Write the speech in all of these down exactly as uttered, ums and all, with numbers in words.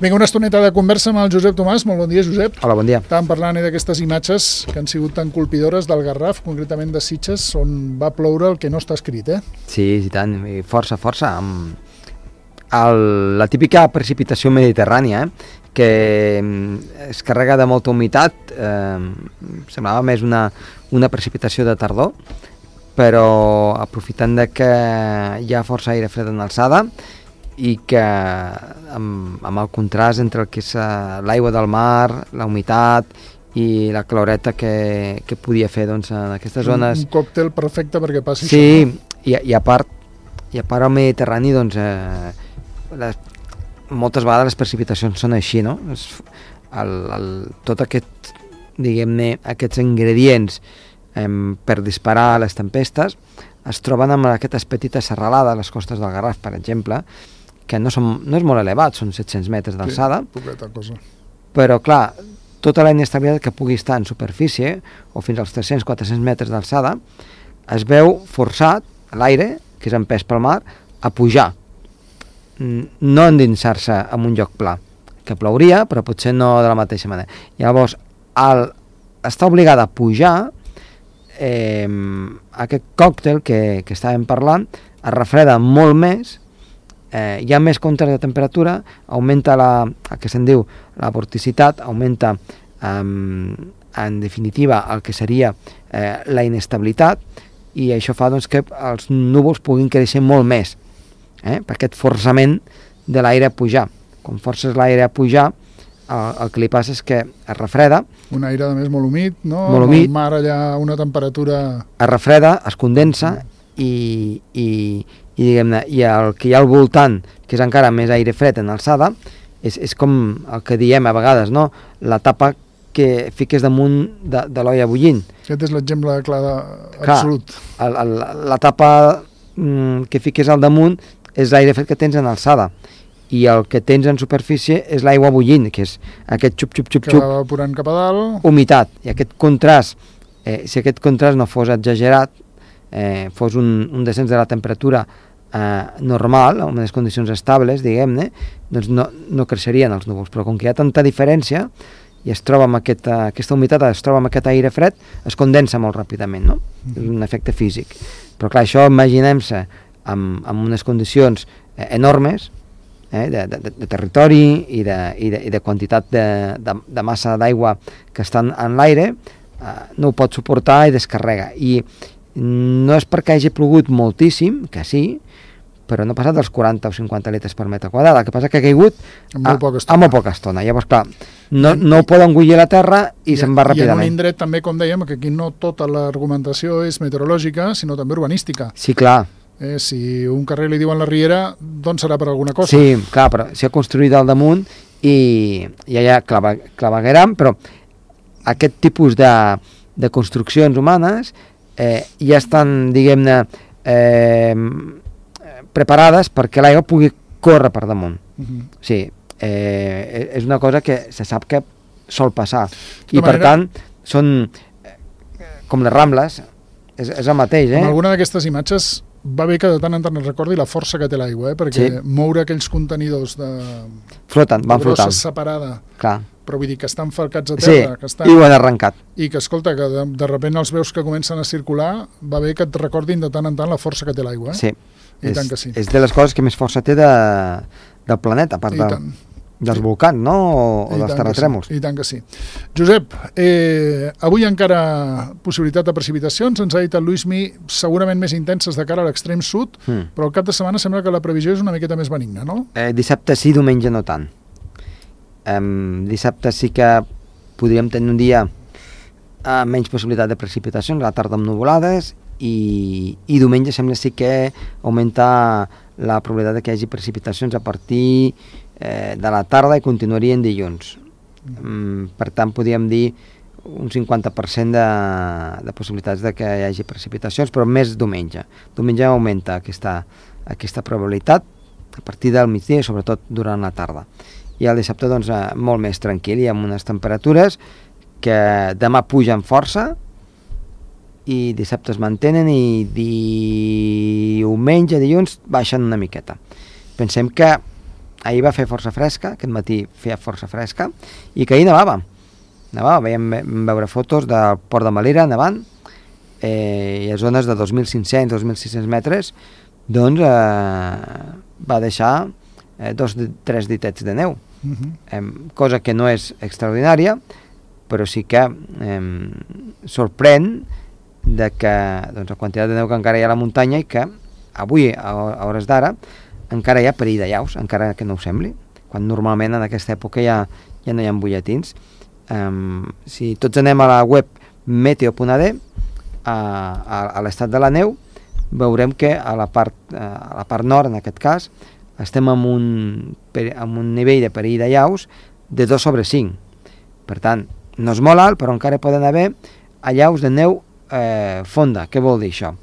Vinga, una estoneta de conversa amb el Josep Tomàs. Molt bon dia, Josep. Hola, bon dia. Estàvem parlant d'aquestes imatges que han sigut tan colpidores del Garraf, concretament de Sitges, on va ploure el que no està escrit, eh? Sí, i tant, força, força. El, la típica precipitació mediterrània, eh? que es carrega de molta humitat, eh, semblava més una, una precipitació de tardor, però aprofitant de que hi ha força aire fred en alçada i que amb, amb el contrast entre el que és l'aigua del mar, la humitat i la caloreta que, que podia fer doncs, en aquestes zones... Un, un còctel perfecte perquè passi sí, això. No? I, i, a part, i a part al Mediterrani, doncs, eh, les, moltes vegades les precipitacions són així, no? Es, el, el, tot aquest, diguem-ne, aquests ingredients eh, per disparar les tempestes es troben amb aquestes petites serralades a les costes del Garraf, per exemple, que no, són, no és molt elevat, són set-cents metres d'alçada, sí, poqueta cosa. Però clar, tota la inestabilitat que pugui estar en superfície, o fins als tres-cents a quatre-cents metres d'alçada, es veu forçat l'aire, que és empès pel mar, a pujar, no endinsar-se en un lloc pla, que plouria, però potser no de la mateixa manera. Llavors, al estar obligada a pujar, eh, aquest còctel que, que estàvem parlant es refreda molt més, eh, hi ha més contrast de temperatura, augmenta la, el que se'n diu la vorticitat, augmenta eh, en definitiva el que seria eh, la inestabilitat, i això fa doncs, que els núvols puguin créixer molt més, eh, per aquest forçament de l'aire a pujar. Quan forces l'aire a pujar, el, el que li passa és que es refreda. Un aire, a més, molt humit, no? Molt humit. El mar allà, una temperatura... Es refreda, es condensa, i, i, i diguem-ne, i el que hi ha al voltant, que és encara més aire fred en alçada, és, és com el que diem a vegades, no? La tapa que fiques damunt de, de l'olla bullint. Aquest és l'exemple clar de... absolut. Clar, el, el, la tapa mm, que fiques al damunt és l'aire fred que tens en alçada, i el que tens en superfície és l'aigua bullint, que és aquest xup, xup, xup, xup, que va evaporant cap a dalt. Humitat. I aquest contrast, eh, si aquest contrast no fos exagerat, eh, fos un, un descens de la temperatura eh, normal, en unes condicions estables, diguem-ne, doncs no, no creixerien els núvols. Però com que hi ha tanta diferència, i es troba amb aquesta, aquesta humitat, es troba amb aquest aire fred, es condensa molt ràpidament, no? Mm-hmm. És un efecte físic. Però clar, això imaginem-se amb, amb unes condicions eh, enormes, eh, de, de, de territori i de, i de, i de quantitat de, de, de massa d'aigua que estan en l'aire, eh, no ho pot suportar i descarrega. I no és perquè hagi plogut moltíssim, que sí, però no ha passat dels quaranta o cinquanta litres per metre quadrat. El que passa que ha caigut en molt poca estona. A molt poca estona. Llavors, clar, no, no ho pot engullir la terra i, i se'n va ràpidament. I en un indret també, com dèiem, que aquí no tota l'argumentació és meteorològica, sinó també urbanística. Sí, clar. Eh, si un carrer li diuen la Riera, doncs serà per alguna cosa. Sí, clar, però s'ha construït al damunt i ja hi ha clava, clavegueram, però aquest tipus de, de construccions humanes eh, ja estan, diguem-ne, eh, preparades perquè l'aigua pugui córrer per damunt. Uh-huh. Sí, eh, és una cosa que se sap que sol passar. I per manera, tant, són com les Rambles, és, és el mateix. Eh? En alguna d'aquestes imatges va bé que de tant en tant es recordi la força que té l'aigua, eh? Perquè sí. Moure aquells contenidors de... Floten, van de brossa flotant. Separada. Clar. Però vull dir que estan falcats a terra. Sí, que estan... i ho han arrencat. I que, escolta, que de, de repent els veus que comencen a circular, va bé que et recordin de tant en tant la força que té l'aigua. Eh? Sí. I és, tant que sí. És de les coses que més força té de, del planeta, a part de, dels sí. volcans, no? O, o dels terratrèmols. Sí. I tant que sí. Josep, eh, avui encara possibilitat de precipitacions, ens ha dit el Luismi, segurament més intenses de cara a l'extrem sud, mm. però al cap de setmana sembla que la previsió és una miqueta més benigna, no? Eh, dissabte sí, diumenge no tant. Eh, dissabte sí que podríem tenir un dia amb menys possibilitat de precipitacions, a la tarda amb nuvolades, I, i diumenge sembla sí que augmenta la probabilitat de que hi hagi precipitacions a partir eh, de la tarda i continuarien dilluns. Mm, per tant, podríem dir un cinquanta per cent de, de possibilitats de que hi hagi precipitacions, però més diumenge. Diumenge augmenta aquesta, aquesta probabilitat a partir del migdia i sobretot durant la tarda. I el dissabte doncs, molt més tranquil i amb unes temperatures que demà pugen força i dissabte es mantenen i diumenge, dilluns baixen una miqueta. Pensem que ahir va fer força fresca, aquest matí feia força fresca, i que ahir nevava. Nevava, veiem, vam veure fotos del port de Malera nevant, eh, i a zones de dos mil cinc-cents, dos mil sis-cents metres, doncs eh, va deixar eh, dos, tres ditets de neu, uh-huh. eh, cosa que no és extraordinària, però sí que eh, sorprèn de que doncs, la quantitat de neu que encara hi ha a la muntanya i que avui, a hores d'ara, encara hi ha perill de llaus, encara que no ho sembli, quan normalment en aquesta època ja, ja no hi ha butlletins. Um, si tots anem a la web meteo punt a d, a, a, a l'estat de la neu, veurem que a la part, a la part nord, en aquest cas, estem amb un, amb un nivell de perill de llaus de dos sobre cinc. Per tant, no és molt alt, però encara poden haver allaus de neu eh, fonda. Què vol dir això?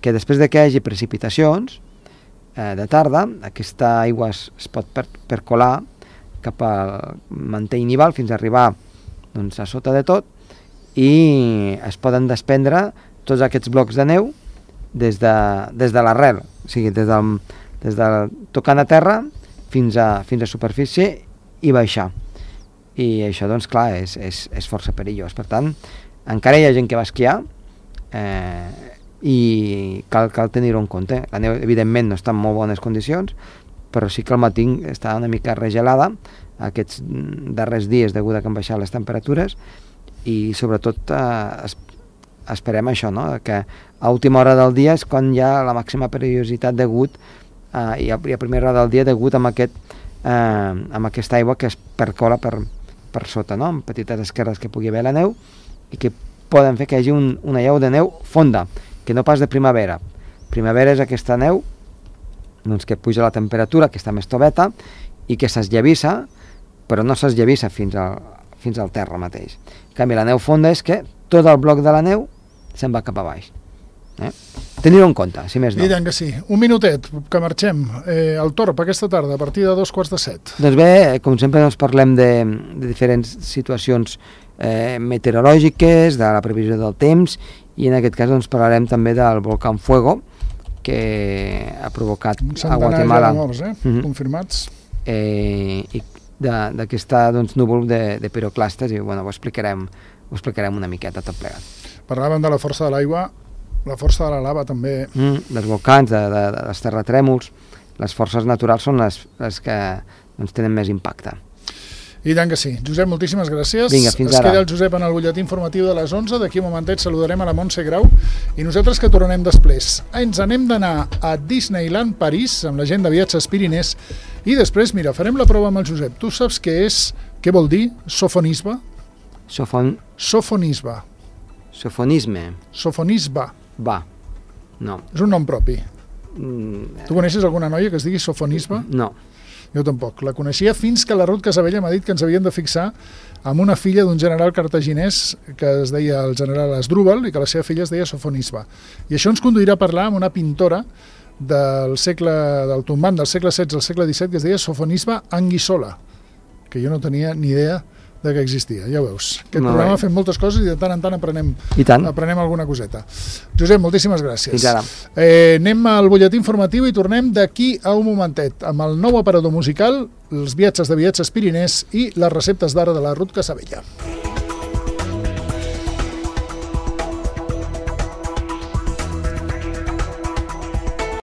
Que després de que hi hagi precipitacions eh, de tarda, aquesta aigua es, es pot per, percolar cap al mantell nival fins a arribar doncs, a sota de tot, i es poden desprendre tots aquests blocs de neu des de, des de l'arrel, o sigui, des del, des de tocant a terra fins a, fins a superfície i baixar. I això, doncs, clar, és, és, és força perillós. Per tant, encara hi ha gent que va esquiar eh, i cal, cal tenir-ho en compte. La neu, evidentment, no està en molt bones condicions, però sí que al matí està una mica regelada aquests darrers dies degut a que han baixat les temperatures, i sobretot eh, es, esperem això, no? Que a última hora del dia és quan hi ha la màxima perillositat degut eh, i, a, i a primera hora del dia degut amb, aquest, eh, amb aquesta aigua que es percola per, per sota, no? Amb petites esquerdes que pugui haver la neu i que poden fer que hi hagi un, una llau de neu fonda, que no pas de primavera. Primavera és aquesta neu doncs, que puja la temperatura, que està més toveta i que s'esllavissa, però no s'esllavissa fins al, fins al terra mateix. En canvi, la neu fonda és que tot el bloc de la neu se'n va cap a baix. Eh? Tenir-ho en compte, si més no. I tant que sí. Un minutet, que marxem. Eh, el Torb, aquesta tarda, a partir de dos quarts de set. Doncs bé, com sempre doncs, parlem de, de diferents situacions eh, meteorològiques, de la previsió del temps, i en aquest cas doncs, parlarem també del volcà Fuego, que ha provocat a Guatemala... Un centenar ja de morts, eh? Uh-huh. Confirmats. Eh, I d'aquesta doncs, núvol de, de piroclastes, i bueno, ho explicarem, ho explicarem una miqueta tot plegat. Parlàvem de la força de l'aigua, la força de la lava també. Mm, dels volcans, de, de, de, dels terratrèmols, les forces naturals són les, les que doncs, tenen més impacte. I tant que sí. Josep, moltíssimes gràcies. Vinga, fins es ara. queda el Josep en el butlletí informatiu de les onze. D'aquí un momentet saludarem a la Montse Grau i nosaltres que tornem després. Ens anem d'anar a Disneyland París amb la gent de Viatges Pirinès i després, mira, farem la prova amb el Josep. Tu saps què és, què vol dir sofonisme? Sofon... Sofonisme. Sofonisme. Sofonisme. Va. No. És un nom propi. Mm, Tu coneixes alguna noia que es digui sofonisme? no. Jo tampoc. La coneixia fins que la Ruth Casabella m'ha dit que ens havíem de fixar amb una filla d'un general cartaginès que es deia el general Asdrúbal i que la seva filla es deia Sofonisba. I això ens conduirà a parlar amb una pintora del segle, del tombant del segle setze al segle disset que es deia Sofonisba Anguissola, que jo no tenia ni idea de que existia, ja ho veus. Aquest Molt programa bé. fem moltes coses i de tant en tant aprenem, I tant. aprenem alguna coseta. Josep, moltíssimes gràcies. Fins ara. Eh, anem al butlletí informatiu i tornem d'aquí a un momentet amb el nou aparador musical, els viatges de Viatges Pirinès i les receptes d'ara de la Ruth Casabella.